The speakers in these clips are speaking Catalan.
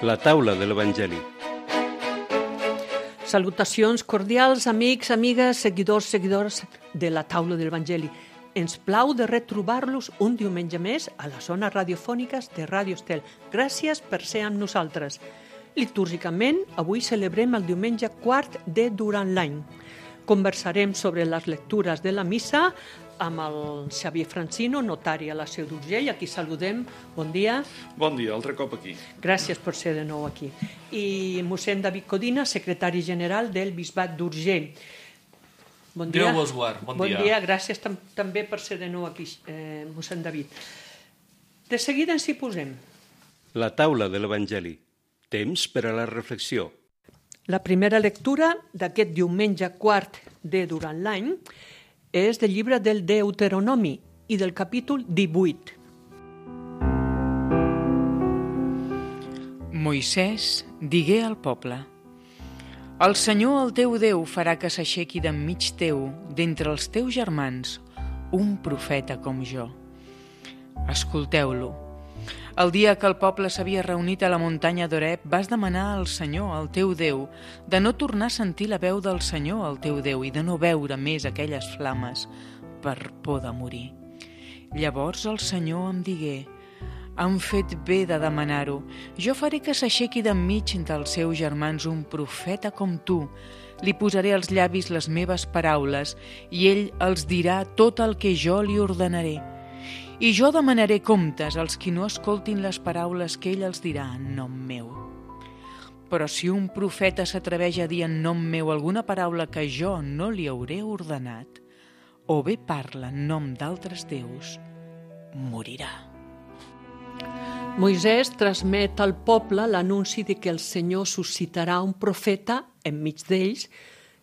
La taula de l'Evangeli. Salutacions cordials, amics, amigues, seguidors de la taula de l'Evangeli. Ens plau de retrobar-los un diumenge més a les zones radiofòniques de Ràdio Estel. Gràcies per ser amb nosaltres. Litúrgicament, avui celebrem el diumenge quart de durant l'any. Conversarem sobre les lectures de la missa amb el Xavier Francino, notari a la Seu d'Urgell, a qui saludem. Bon dia. Bon dia, altre cop aquí. Gràcies per ser de nou aquí. I mossèn David Codina, secretari general del Bisbat d'Urgell. Bon dia. Déu vos guard, bon dia. Bon dia, gràcies també per ser de nou aquí, mossèn David. De seguida ens hi posem. La taula de l'Evangeli. Temps per a la reflexió. La primera lectura d'aquest diumenge quart de durant l'any és del llibre del Deuteronomi i del capítol 18. Moisès digué al poble: El Senyor, el teu Déu, farà que s'aixequi d'enmig teu, d'entre els teus germans, un profeta com jo. Escolteu-lo. El dia que el poble s'havia reunit a la muntanya d'Horeb, vas demanar al Senyor, el teu Déu, de no tornar a sentir la veu del Senyor, el teu Déu, i de no veure més aquelles flames per por de morir. Llavors el Senyor em digué: Han fet bé de demanar-ho. Jo faré que s'aixequi d'enmig dels seus germans un profeta com tu. Li posaré als llavis les meves paraules i ell els dirà tot el que jo li ordenaré. I jo demanaré comptes als qui no escoltin les paraules que ell els dirà en nom meu. Però si un profeta s'atreveix a dir en nom meu alguna paraula que jo no li hauré ordenat, o bé parla en nom d'altres déus, morirà. Moisès transmet al poble l'anunci de que el Senyor suscitarà un profeta enmig d'ells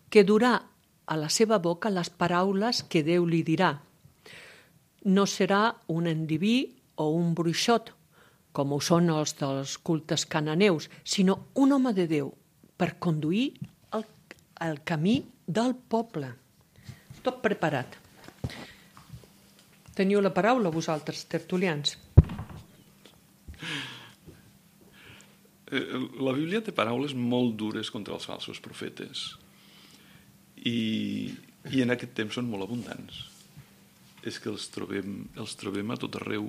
que durà a la seva boca les paraules que Déu li dirà. No serà un endiví o un bruixot, com ho són els dels cultes cananeus, sinó un home de Déu per conduir el camí del poble. Tot preparat. Teniu la paraula, vosaltres, tertulians. La Bíblia té paraules molt dures contra els falsos profetes i en aquest temps són molt abundants. És que els trobem a tot arreu.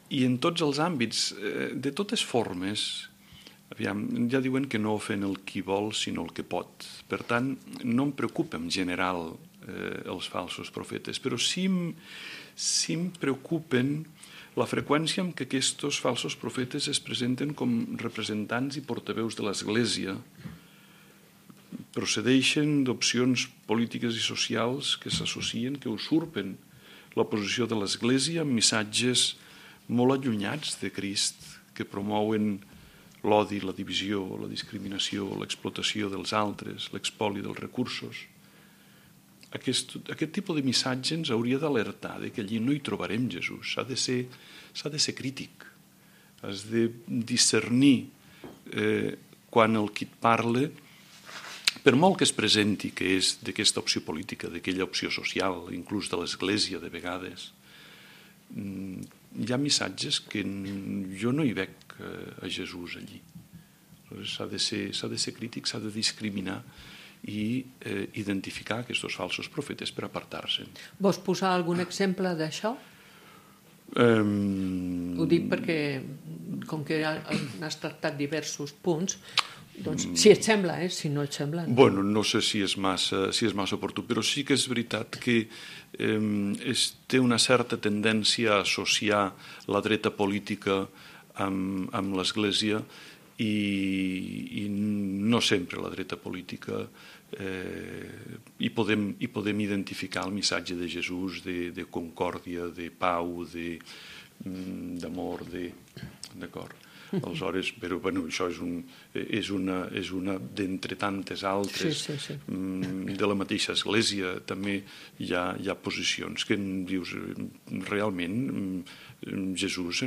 I en tots els àmbits, de totes formes, aviam, ja diuen que no ofèn el qui vol, sinó el que pot. Per tant, no em preocupa en general els falsos profetes, però sí em preocupen la freqüència amb què aquests falsos profetes es presenten com representants i portaveus de l'Església, procedeixen d'opcions polítiques i socials que s'associen, que usurpen la posició de l'Església amb missatges molt allunyats de Crist, que promouen l'odi, la divisió, la discriminació, l'explotació dels altres, l'expoli dels recursos. Aquest tipus de missatge ens hauria d'alertar que allí no hi trobarem Jesús. S'ha de ser crític. Has de discernir quan el qui et parla, per molt que es presenti que és d'aquesta opció política, d'aquella opció social, inclús de l'Església de vegades, hi ha missatges que jo no hi veig a Jesús allí. S'ha de ser crític, s'ha de discriminar i identificar aquests falsos profetes per apartar-se'n. Vols posar algun exemple d'això? Ho dic perquè, com que has tractat diversos punts, doncs, si et sembla, si no et sembla... Bueno, no sé si és massa oportú, però sí que és veritat que té una certa tendència a associar la dreta política amb l'Església i no sempre la dreta política hi podem identificar el missatge de Jesús de concòrdia, de pau, d'amor, d'acord. Aleshores, però bueno, això és una d'entre tantes altres. Sí. De la mateixa Església també hi ha posicions que dius realment Jesús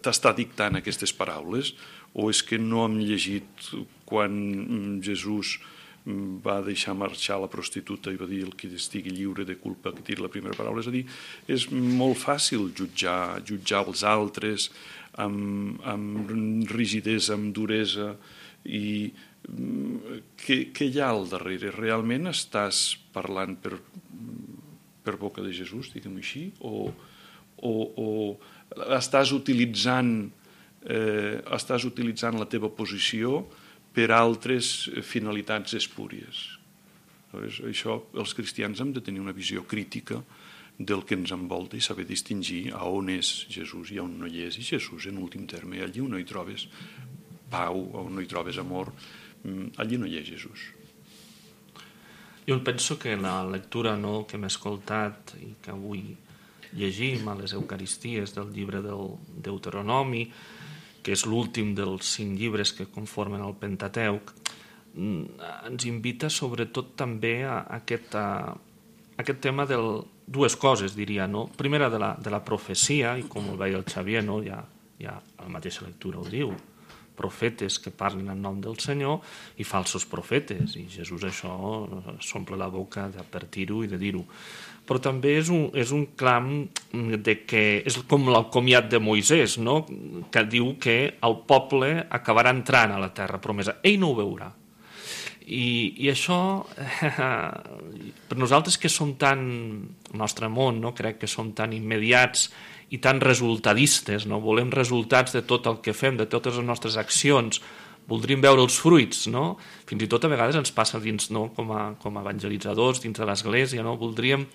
t'està dictant aquestes paraules, o és que no hem llegit quan Jesús va deixar marxar la prostituta i va dir el que estigui lliure de culpa que tiri la primera paraula. És a dir, és molt fàcil jutjar els altres amb rigidesa, amb duresa, i què hi ha al darrere? Realment estàs parlant per boca de Jesús, diguem-ho així, o estàs utilitzant la teva posició per altres finalitats espúries. Això, els cristians hem de tenir una visió crítica del que ens envolta i saber distingir a on és Jesús i on no hi és. I Jesús, en últim terme, allí on no hi trobes pau, on no hi trobes amor, allí no hi és Jesús. Jo penso que la lectura que hem escoltat i que avui llegim a les Eucaristies del llibre del Deuteronomi, que és l'últim dels 5 llibres que conformen el Pentateuc, ens invita sobretot també a aquest tema de dues coses, diria. Primera, de la profecia, i com ho veia el Xavier, ja la mateixa lectura ho diu, profetes que parlen en nom del Senyor i falsos profetes, i Jesús això s'omple la boca d'advertir-ho i de dir-ho. Però també és un clam de que és com l'alcomiat de Moisès, que diu que el poble acabarà entrant a la terra promesa. Ell no ho veurà. I això, per nosaltres que som tan, el nostre món, crec que som tan immediats i tan resultadistes, volem resultats de tot el que fem, de totes les nostres accions, voldríem veure els fruits, fins i tot a vegades ens passa dins, com a evangelitzadors dins de l'Església, voldríem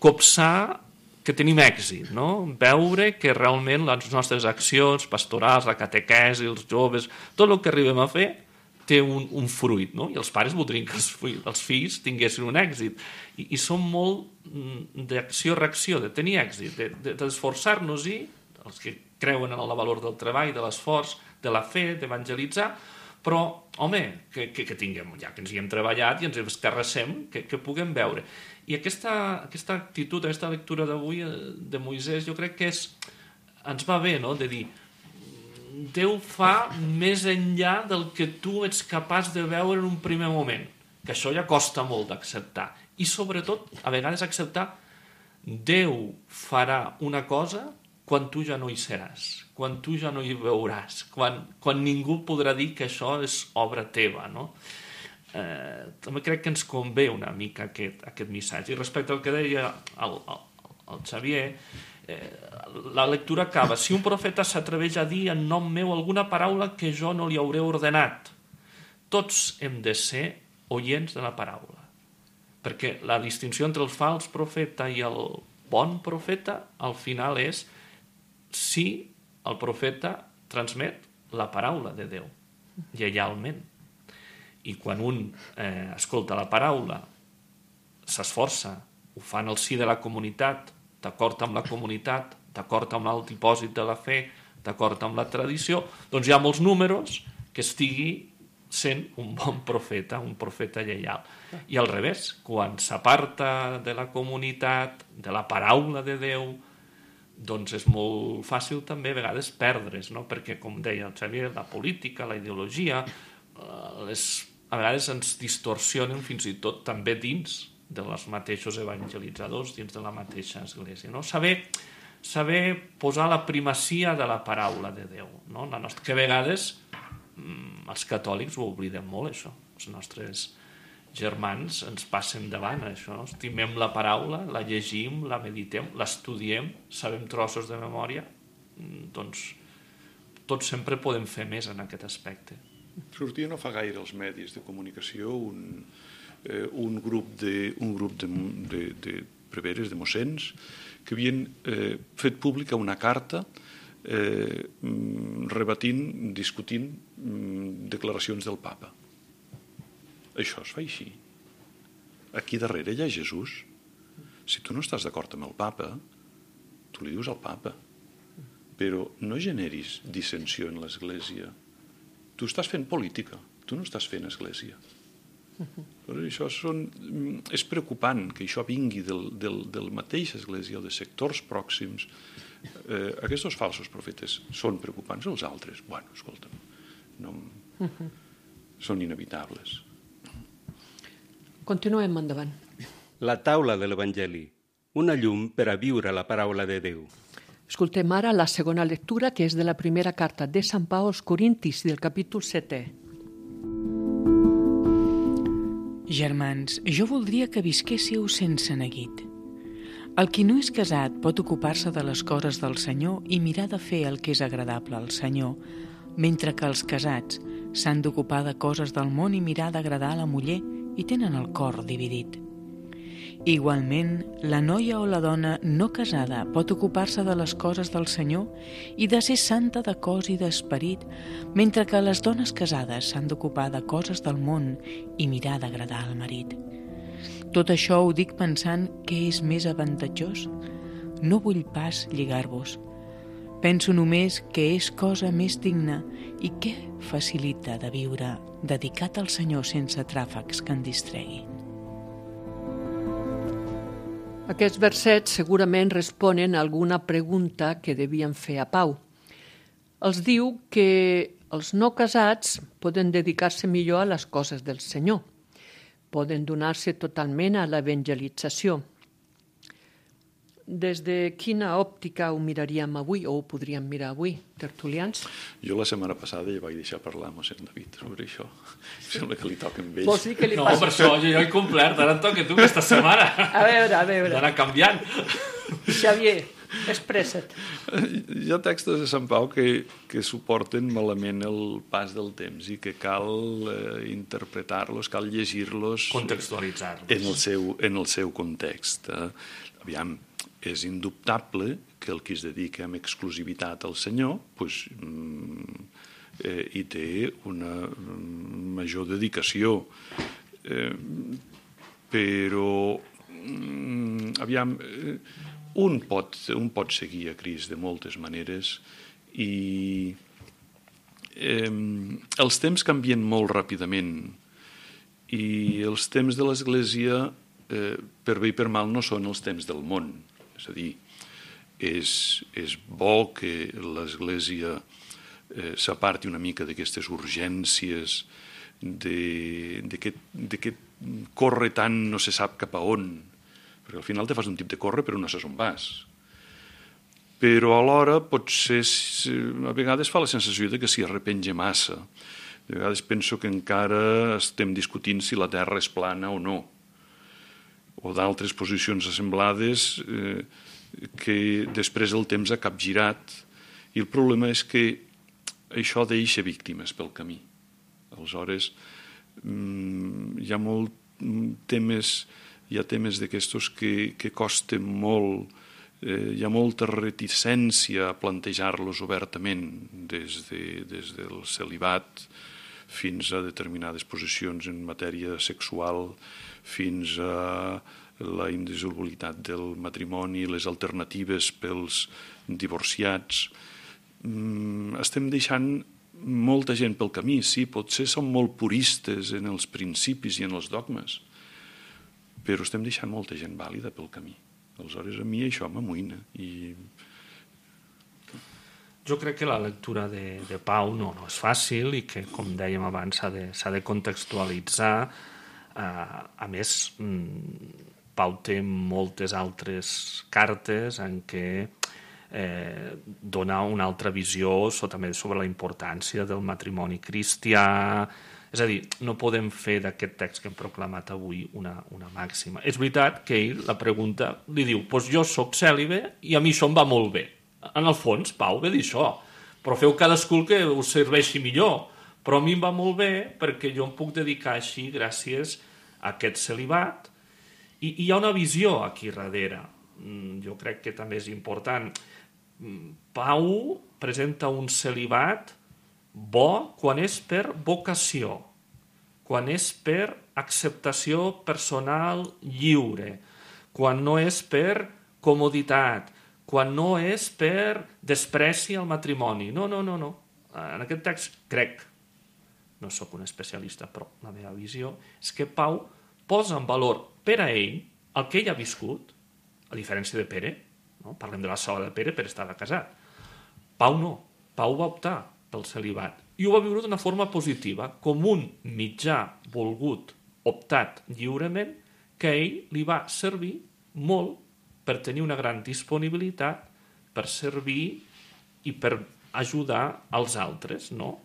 copsar que tenim èxit, veure que realment les nostres accions pastorals, la catequesi, els joves, tot el que arribem a fer té un fruit, i els pares voldrien que els fills tinguessin un èxit. I som molt d'acció-reacció, de tenir èxit, d'esforçar-nos-hi, els que creuen en el valor del treball, de l'esforç, de la fe, d'evangelitzar, però, home, que tinguem, ja que ens hi hem treballat i ens escarrassem, que puguem veure. I aquesta actitud, aquesta lectura d'avui de Moisès, jo crec que ens va bé, de dir, Déu fa més enllà del que tu ets capaç de veure en un primer moment, que això ja costa molt d'acceptar. I sobretot, a vegades acceptar, Déu farà una cosa quan tu ja no hi seràs, quan tu ja no hi veuràs, quan ningú podrà dir que això és obra teva, també crec que ens convé una mica aquest missatge. I respecte al que deia el Xavier, la lectura acaba: si un profeta s'atreveix a dir en nom meu alguna paraula que jo no li hauré ordenat. Tots hem de ser oients de la paraula, perquè la distinció entre el fals profeta i el bon profeta al final és si el profeta transmet la paraula de Déu lleialment. I quan un escolta la paraula, s'esforça, ho fa en el si de la comunitat, d'acord amb la comunitat, d'acord amb el dipòsit de la fe, d'acord amb la tradició, doncs hi ha molts números que estigui sent un bon profeta, un profeta lleial. I al revés, quan s'aparta de la comunitat, de la paraula de Déu, doncs és molt fàcil també a vegades perdre's, perquè, com deia el Xavier, la política, la ideologia, a vegades ens distorsionen fins i tot també dins dels mateixos evangelitzadors, dins de la mateixa església. Saber posar la primacia de la paraula de Déu, que a vegades els catòlics ho oblidem molt, això. Els nostres germans ens passen davant, això. Estimem la paraula, la llegim, la meditem, l'estudiem, sabem trossos de memòria, doncs tots sempre podem fer més en aquest aspecte. Sortia no fa gaire als medis de comunicació un grup de preveres, de mossens, que havien fet pública una carta rebatint, discutint declaracions del papa. Això es fa així. Aquí darrere hi ha Jesús. Si tu no estàs d'acord amb el papa, tu li dius al papa. Però no generis dissensió en l'Església. Tu estàs fent política, tu no estàs fent església. Això és preocupant que això vingui del mateix església o de sectors pròxims. Aquests falsos profetes són preocupants, els altres, bueno, escolta'm, són inevitables. Continuem endavant. La taula de l'Evangeli, una llum per a viure la paraula de Déu. Escoltem ara la segona lectura, que és de la primera carta de Sant Pau als Corintis, del capítol 7è. Germans, jo voldria que visquéssiu sense neguit. El qui no és casat pot ocupar-se de les coses del Senyor i mirar de fer el que és agradable al Senyor, mentre que els casats s'han d'ocupar de coses del món i mirar d'agradar a la muller i tenen el cor dividit. Igualment, la noia o la dona no casada pot ocupar-se de les coses del Senyor i de ser santa de cos i d'esperit, mentre que les dones casades s'han d'ocupar de coses del món i mirar d'agradar al marit. Tot això ho dic pensant que és més avantatjós. No vull pas lligar-vos. Penso només que és cosa més digna i que facilita de viure dedicat al Senyor sense tràfecs que en distreguin. Aquests versets segurament responen a alguna pregunta que devien fer a Pau. Els diu que els no casats poden dedicar-se millor a les coses del Senyor. Poden donar-se totalment a l'evangelització. Des de quina òptica ho miraríem avui, o ho podríem mirar avui, tertulians? Jo la setmana passada ja vaig deixar parlar a mossèn David sobre això. Sembla que li toca amb ell. Vols dir que li No, per això jo he complert, ara et toca tu aquesta setmana. A veure. D'anar canviant. Xavier, expressa't. Hi ha textos de Sant Pau que suporten malament el pas del temps i que cal interpretar-los, cal llegir-los Contextualitzar-los. en el seu context. Aviam, és indubtable que el qui es dedica amb exclusivitat al Senyor hi té una major dedicació. Però, aviam, un pot seguir a Crist de moltes maneres i els temps canvien molt ràpidament i els temps de l'Església, per bé i per mal, no són els temps del món. És a dir, és bo que l'Església s'aparti una mica d'aquestes urgències, de que corre tant no se sap cap a on, perquè al final te fas un tip de córrer però no saps on vas. Però alhora potser a vegades fa la sensació de que s'hi arrepenja massa. De vegades penso que encara estem discutint si la Terra és plana o no, o d'altres posicions assemblades que després el temps ha capgirat, i el problema és que això deixa víctimes pel camí. Aleshores, hi ha temes d'aquestos que costen molt, hi ha molta reticència a plantejar-los obertament, des del celibat fins a determinades posicions en matèria sexual, fins a la indissolubilitat del matrimoni, les alternatives pels divorciats. Estem deixant molta gent pel camí, sí, potser som molt puristes en els principis i en els dogmes, però estem deixant molta gent vàlida pel camí. Aleshores, a mi això m'amoïna. Jo crec que la lectura de Pau no és fàcil i que, com dèiem abans, s'ha de contextualitzar. A més, Pau té moltes altres cartes en què dona una altra visió també sobre la importància del matrimoni cristià. És a dir, no podem fer d'aquest text que hem proclamat avui una màxima. És veritat que ell, la pregunta, li diu jo soc cèlibe i a mi això em va molt bé. En el fons, Pau ve dir això, però feu cadascú el que us serveixi millor. Però a mi em va molt bé perquè jo em puc dedicar així gràcies a aquest celibat. I hi ha una visió aquí darrere. Jo crec que també és important. Pau presenta un celibat bo quan és per vocació, quan és per acceptació personal lliure, quan no és per comoditat, quan no és per despreci al matrimoni. No. En aquest text crec, no sóc un especialista, però la meva visió és que Pau posa en valor per a ell el que ell ha viscut, a diferència de Pere, no? Parlem de la sola de Pere estava casat. Pau no, Pau va optar pel celibat i ho va viure d'una forma positiva, com un mitjà volgut optat lliurement, que a ell li va servir molt per tenir una gran disponibilitat, per servir i per ajudar als altres, no?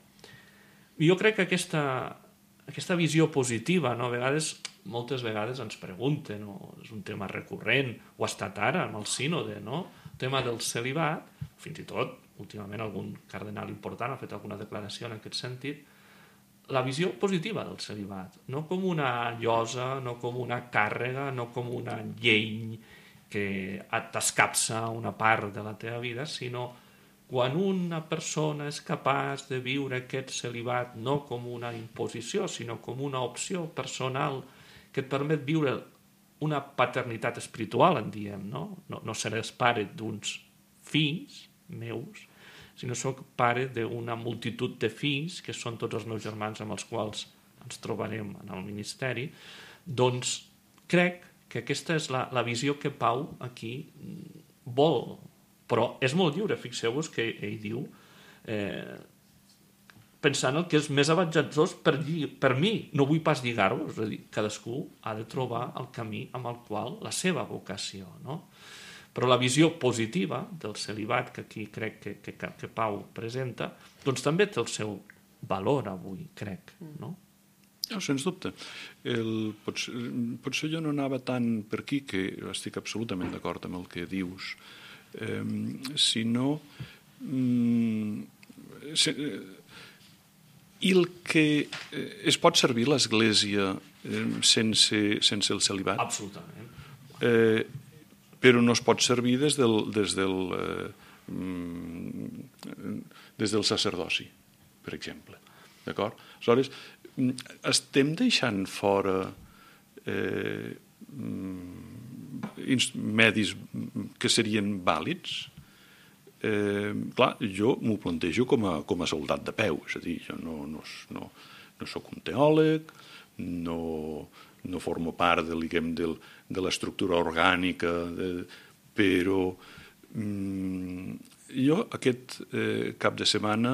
Jo crec que aquesta visió positiva, no? Moltes vegades ens pregunten, no? És un tema recurrent, o ha estat ara amb el sínode, no? El tema del celibat, fins i tot, últimament algun cardenal important ha fet alguna declaració en aquest sentit, la visió positiva del celibat, no com una llosa, no com una càrrega, no com una llei que t'escapça una part de la teva vida, sinó quan una persona és capaç de viure aquest celibat no com una imposició, sinó com una opció personal que et permet viure una paternitat espiritual, en diem, no? No seràs pare d'uns fills meus, sinó soc pare d'una multitud de fills, que són tots els meus germans amb els quals ens trobarem en el ministeri, doncs crec que aquesta és la visió que Pau aquí vol, però és molt lliure. Fixeu-vos que ell diu pensant el que és més avantatjós per mi, no vull pas lligar-vos, és a dir, cadascú ha de trobar el camí amb el qual la seva vocació, no? Però la visió positiva del celibat que aquí crec que Pau presenta, doncs també té el seu valor avui, crec, no? No, sens dubte. Potser jo no anava tant per aquí, que estic absolutament d'acord amb el que dius, sinó el que es pot servir l'Església sense el celibat. Absolutament. Però no es pot servir des del sacerdoci, per exemple. D'acord? Aleshores, estem deixant fora medis que serien vàlids? Clar, jo m'ho plantejo com a soldat de peu, és a dir, jo no soc un teòleg, no formo part de l'estructura orgànica, però jo aquest cap de setmana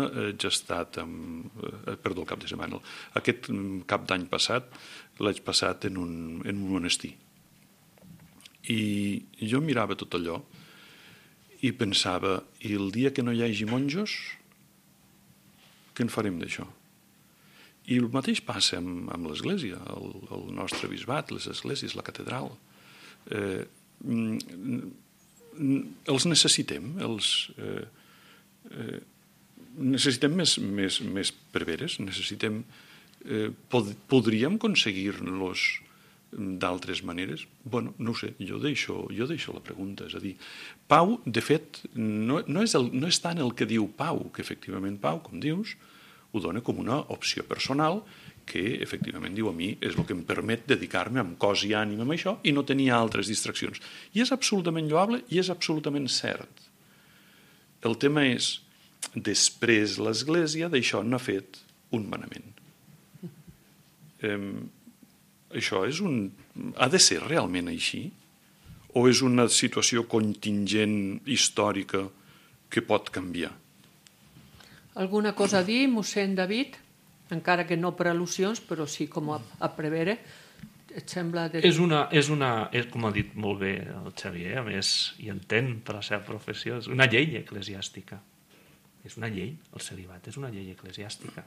aquest cap d'any passat l'haig passat en un monestir. I jo mirava tot allò i pensava, i el dia que no hi hagi monjos, què en farem d'això? I el mateix passa amb l'Església, el nostre bisbat, les esglésies, la catedral. Els necessitem, necessitem més preveres, podríem aconseguir-los d'altres maneres? Bueno, no ho sé, jo deixo la pregunta, és a dir, Pau, de fet, no és tant el que diu Pau, que efectivament Pau, com dius, ho dona com una opció personal que, efectivament, diu a mi, és el que em permet dedicar-me amb cos i ànima a això i no tenir altres distraccions. I és absolutament lloable i és absolutament cert. El tema és, després l'Església d'això n'ha fet un manament. Això ha de ser realment així? O és una situació contingent històrica que pot canviar? Alguna cosa a dir, mossèn David? Encara que no per al·lusions, però sí com a prevere. Et sembla... com ha dit molt bé el Xavier, a més, i entén per la seva professió, és una llei eclesiàstica. És una llei, el celibat és una llei eclesiàstica.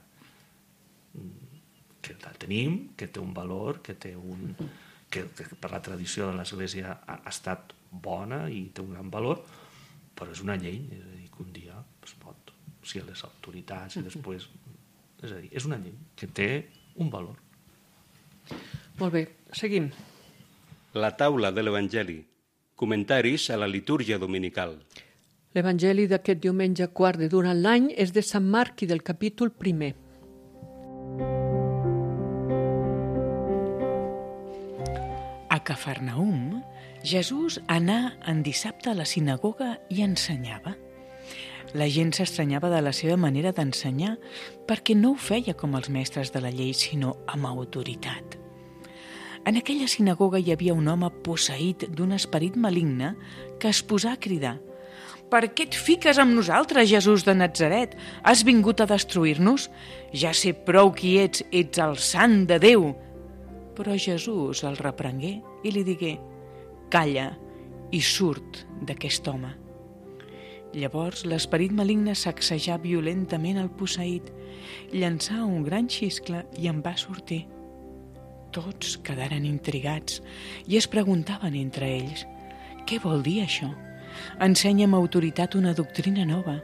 Que la tenim, que té un valor, que per la tradició de l'Església ha estat bona i té un gran valor, però és una llei, és a dir, que un dia es pot, si les autoritats i després... És a dir, és una llei que té un valor. Molt bé, seguim. La taula de l'Evangeli. Comentaris a la litúrgia dominical. L'Evangeli d'aquest diumenge quart de durant l'any és de Sant Marc i del capítol 1. A Cafarnaum, Jesús anà en dissabte a la sinagoga i ensenyava. La gent s'estranyava de la seva manera d'ensenyar perquè no ho feia com els mestres de la llei, sinó amb autoritat. En aquella sinagoga hi havia un home posseït d'un esperit maligne que es posà a cridar: «Per què et fiques amb nosaltres, Jesús de Natzaret? Has vingut a destruir-nos? Ja sé prou qui ets el sant de Déu!» Però Jesús el reprengué i li digué: «Calla i surt d'aquest home». Llavors l'esperit maligne sacsejà violentament el posseït, llançà un gran xiscle i en va sortir. Tots quedaren intrigats i es preguntaven entre ells: «Què vol dir això? Ensenya amb autoritat una doctrina nova.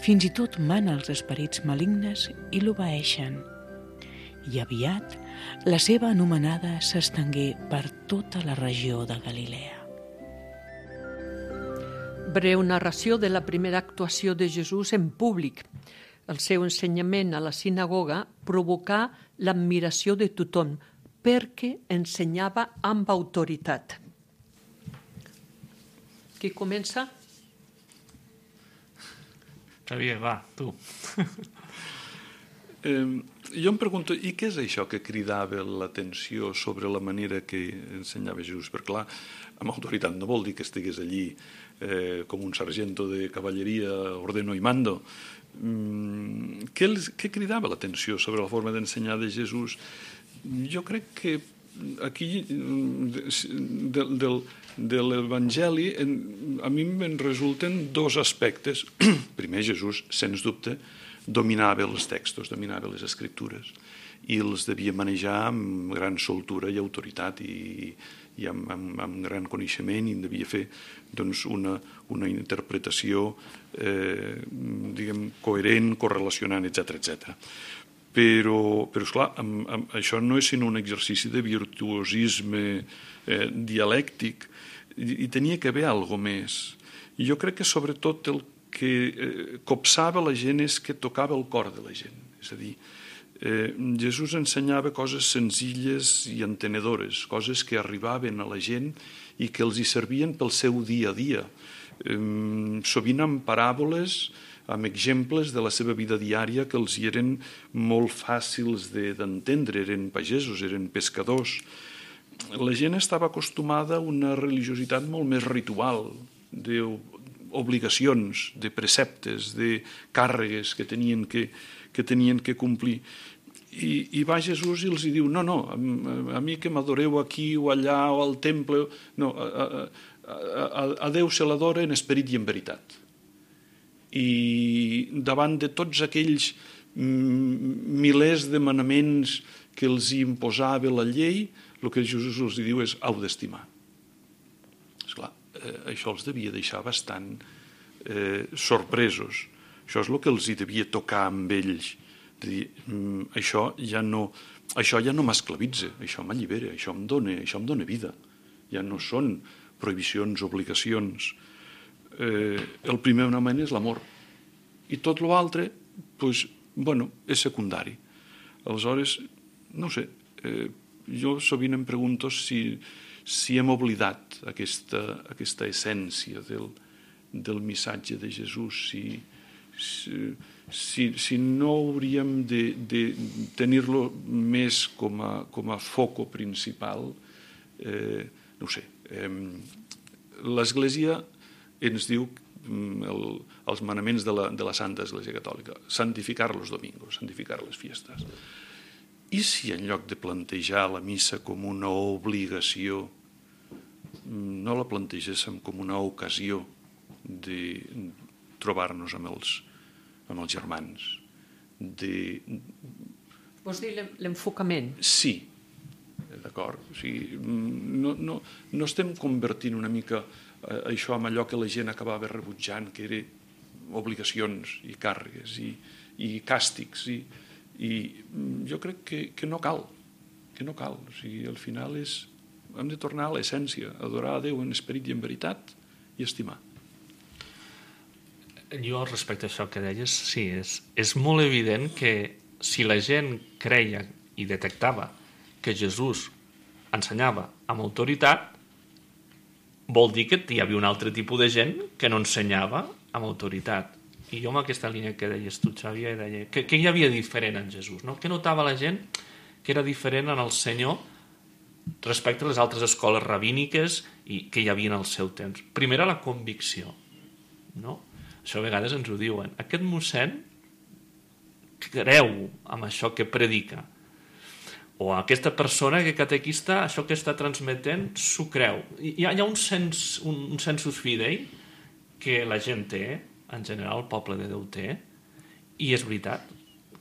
Fins i tot mana els esperits malignes i l'obeeixen». I aviat la seva anomenada s'estengué per tota la regió de Galilea. Breu narració de la primera actuació de Jesús en públic. El seu ensenyament a la sinagoga provocà l'admiració de tothom perquè ensenyava amb autoritat. Qui comença? Xavier, va, tu. Jo em pregunto, i què és això que cridava l'atenció sobre la manera que ensenyava Jesús? Perquè clar, amb autoritat no vol dir que estigués allí com un sargento de cavalleria, ordeno i mando. Què cridava l'atenció sobre la forma d'ensenyar de Jesús? Jo crec que aquí de l'Evangeli a mi me'n resulten dos aspectes. Primer, Jesús, sens dubte, dominava els textos, dominava les escriptures i els devia manejar amb gran soltura i autoritat i amb gran coneixement, i en devia fer doncs, una interpretació coherent, correlacionant, etc. Però esclar, això no és sinó un exercici de virtuosisme dialèctic, i tenia que haver alguna més. I jo crec que sobretot el que copsava la gent és que tocava el cor de la gent. És a dir, Jesús ensenyava coses senzilles i entenedores, coses que arribaven a la gent i que els hi servien pel seu dia a dia. Sovint amb paràboles, amb exemples de la seva vida diària que els hi eren molt fàcils d'entendre. Eren pagesos, eren pescadors. La gent estava acostumada a una religiositat molt més ritual, d'obligacions, de preceptes, de càrregues que tenien que complir. I va Jesús i els diu: no, a mi que m'adoreu aquí o allà o al temple, no, a Déu se l'adora en esperit i en veritat. I davant de tots aquells milers de manaments que els imposava la llei, el que Jesús els diu és: heu d'estimar. Esclar, això els devia deixar bastant sorpresos. Això és el que els hi devia tocar amb ells. De dir, això ja no m'esclavitza, això m'allibera, això em dona vida. Ja no són prohibicions, obligacions. El primer manament és l'amor. I tot l'altre, és secundari. Aleshores, no sé, jo sovint em pregunto si hem oblidat aquesta essència del missatge de Jesús, si no hauríem de tenir-lo més com a foco principal. No ho sé. L'Església ens diu, els manaments de la Santa Església Catòlica: santificar los domingos, santificar les fiestes. I si en lloc de plantejar la missa com una obligació, no la plantegéssim com una ocasió de trobar-nos amb els germans? Vols dir l'enfocament? Sí, d'acord. O sigui, no estem convertint una mica això en allò que la gent acabava rebutjant, que eren obligacions i càrregues i càstigs, i jo crec que no cal, o sigui, al final hem de tornar a l'essència, adorar a Déu en esperit i en veritat i estimar. Jo, respecte a això que deies, sí, és molt evident que si la gent creia i detectava que Jesús ensenyava amb autoritat, vol dir que hi havia un altre tipus de gent que no ensenyava amb autoritat. I jo amb aquesta línia que deies tu, Xavier, deia que hi havia diferent en Jesús, no? Que notava la gent que era diferent en el Senyor respecte a les altres escoles rabíniques i que hi havia en el seu temps. Primera, la convicció, no? Això a vegades ens ho diuen. Aquest mossèn creu amb això que predica. o aquesta persona que catequista això que està transmetent s'ho creu. Hi ha un sensus fidei que la gent té, en general el poble de Déu té, i és veritat,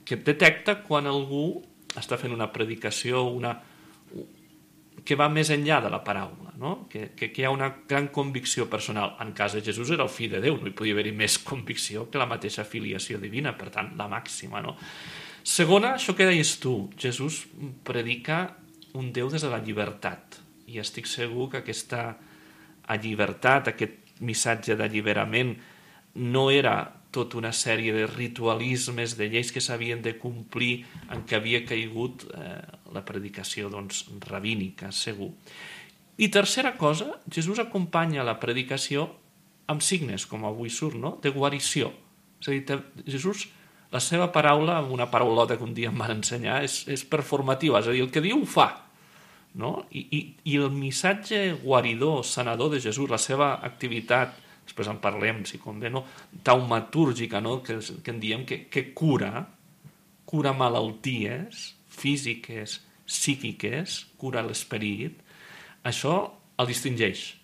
que detecta quan algú està fent una predicació que va més enllà de la paraula, no? Que hi ha una gran convicció personal. En cas de Jesús era el fill de Déu, no hi podia haver-hi més convicció que la mateixa filiació divina, per tant, la màxima, no? Segona, això que deies tu, Jesús predica un Déu des de la llibertat, i estic segur que aquesta llibertat, aquest missatge d'alliberament, no era tota una sèrie de ritualismes, de lleis que s'havien de complir en què havia caigut la predicació rabínica, segur. I tercera cosa, Jesús acompanya la predicació amb signes, com avui surt, no? De guarició. És a dir, Jesús, la seva paraula, una paraulota que un dia em van ensenyar, és performativa, és a dir, el que diu ho fa. No? I el missatge guaridor, sanador de Jesús, la seva activitat, després en parlem, si convé, no? Taumatúrgica, no? que en diem que cura malalties físiques, psíquiques, cura l'esperit, això el distingeix.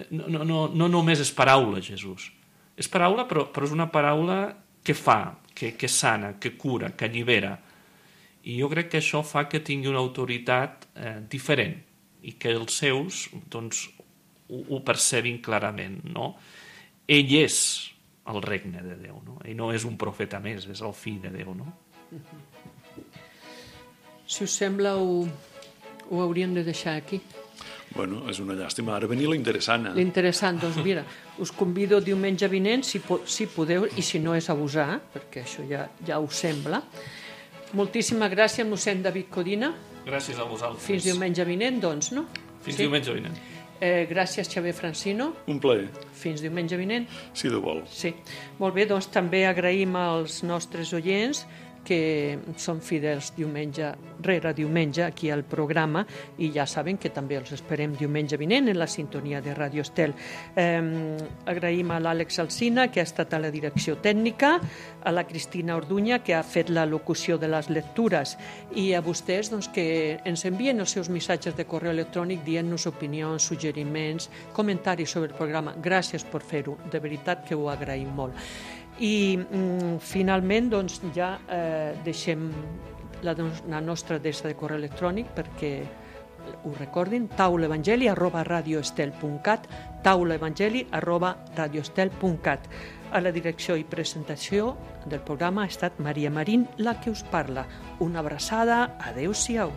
No només és paraula, Jesús. És paraula, però és una paraula que fa, que sana, que cura, que allibera. I jo crec que això fa que tingui una autoritat diferent i que els seus ho percebin clarament, no? Ell és el regne de Déu, no? Ell no és un profeta més, és el fill de Déu, no? Si us sembla, ho hauríem de deixar aquí. Bueno, és una llàstima. Ara venia l'interessant. L'interessant, doncs mira, us convido diumenge vinent, si podeu, i si no és abusar, perquè això ja us sembla. Moltíssima gràcies, mossèn David Codina. Gràcies a vosaltres. Fins diumenge vinent, doncs, no? Fins diumenge vinent. Gràcies, Xavier Francino. Un plaer. Fins diumenge vinent. Si Déu vol. Sí. Molt bé, doncs també agraïm als nostres oients que són fidels diumenge rere diumenge aquí al programa, i ja saben que també els esperem diumenge vinent en la sintonia de Radio Estel. Agraïm a l'Àlex Alsina, que ha estat a la direcció tècnica, a la Cristina Orduña, que ha fet la locució de les lectures, i a vostès que ens envien els seus missatges de correu electrònic dient-nos opinions, suggeriments, comentaris sobre el programa. Gràcies per fer-ho, de veritat que ho agraïm molt. I finalment ja deixem la nostra adreça de correu electrònic perquè ho recordin, taulaevangeli@radioestel.cat, taulaevangeli@radioestel.cat. A la direcció i presentació del programa ha estat Maria Marín, la que us parla. Una abraçada, adeu-siau.